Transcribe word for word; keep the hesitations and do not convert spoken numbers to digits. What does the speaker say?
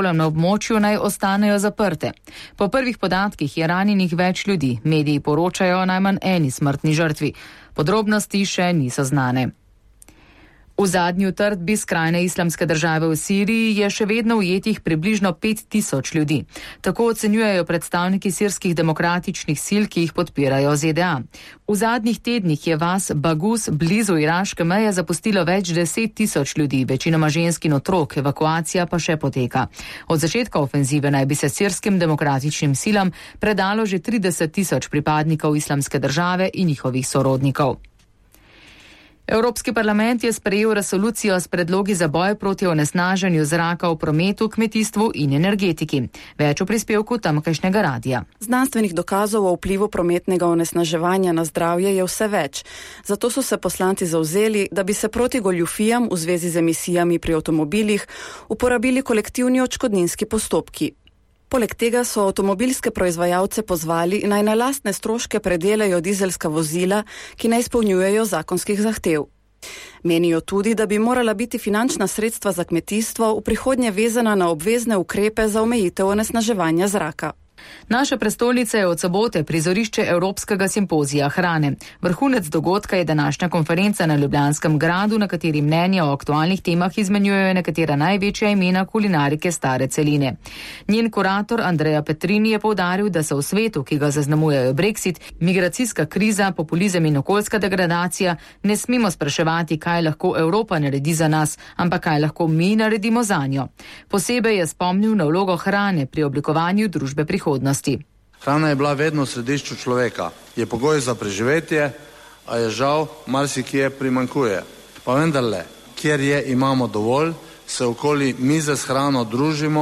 šolam na območju naj ostanejo zaprte. Po prvih podatkih je ranjenih več ljudi. Mediji poročajo o najmanj eni smrtni žrtvi. Podrobnosti še niso znane. V zadnji utrdbi skrajne islamske države v Siriji je še vedno ujetih približno pet tisoč ljudi. Tako ocenjujejo predstavniki sirskih demokratičnih sil, ki jih podpirajo Z D A. V zadnjih tednih je vas Bagus blizu iraške meje zapustilo več deset tisoč ljudi, večinoma žensk in otrok, evakuacija pa še poteka. Od začetka ofenzive naj bi se sirskim demokratičnim silam predalo že trideset tisoč pripadnikov islamske države in njihovih sorodnikov. Evropski parlament je sprejel resolucijo s predlogi za boj proti onesnaženju zraka v prometu, kmetijstvu in energetiki. Več v prispevku tamkajšnjega radija. Znanstvenih dokazov o vplivu prometnega onesnaževanja na zdravje je vse več. Zato so se poslanci zavzeli, da bi se proti goljufijam v zvezi z emisijami pri avtomobilih uporabili kolektivni odškodninski postopki. Poleg tega so avtomobilske proizvajalce pozvali, naj na lastne stroške predelajo dizelska vozila, ki ne izpolnjujejo zakonskih zahtev. Menijo tudi, da bi morala biti finančna sredstva za kmetijstvo v prihodnje vezana na obvezne ukrepe za omejitev onesnaževanja zraka. Naša prestolnica je od sobote prizorišče Evropskega simpozija hrane. Vrhunec dogodka je današnja konferenca na Ljubljanskem gradu, na kateri mnenja o aktualnih temah izmenjujejo nekatera največja imena kulinarike stare celine. Njen kurator Andreja Petrini je poudaril, da se v svetu, ki ga zaznamujejo Brexit, migracijska kriza, populizem in okoljska degradacija, ne smemo spraševati, kaj lahko Evropa naredi za nas, ampak kaj lahko mi naredimo zanjo. Posebej je spomnil na vlogo hrane pri oblikovanju družbe prihodnosti. Hrana je bila vedno v središču človeka. Je pogoj za preživetje, a je žal marsikje primanjkuje. Pa vendarle, kjer je imamo dovolj, se okoli mize s hrano družimo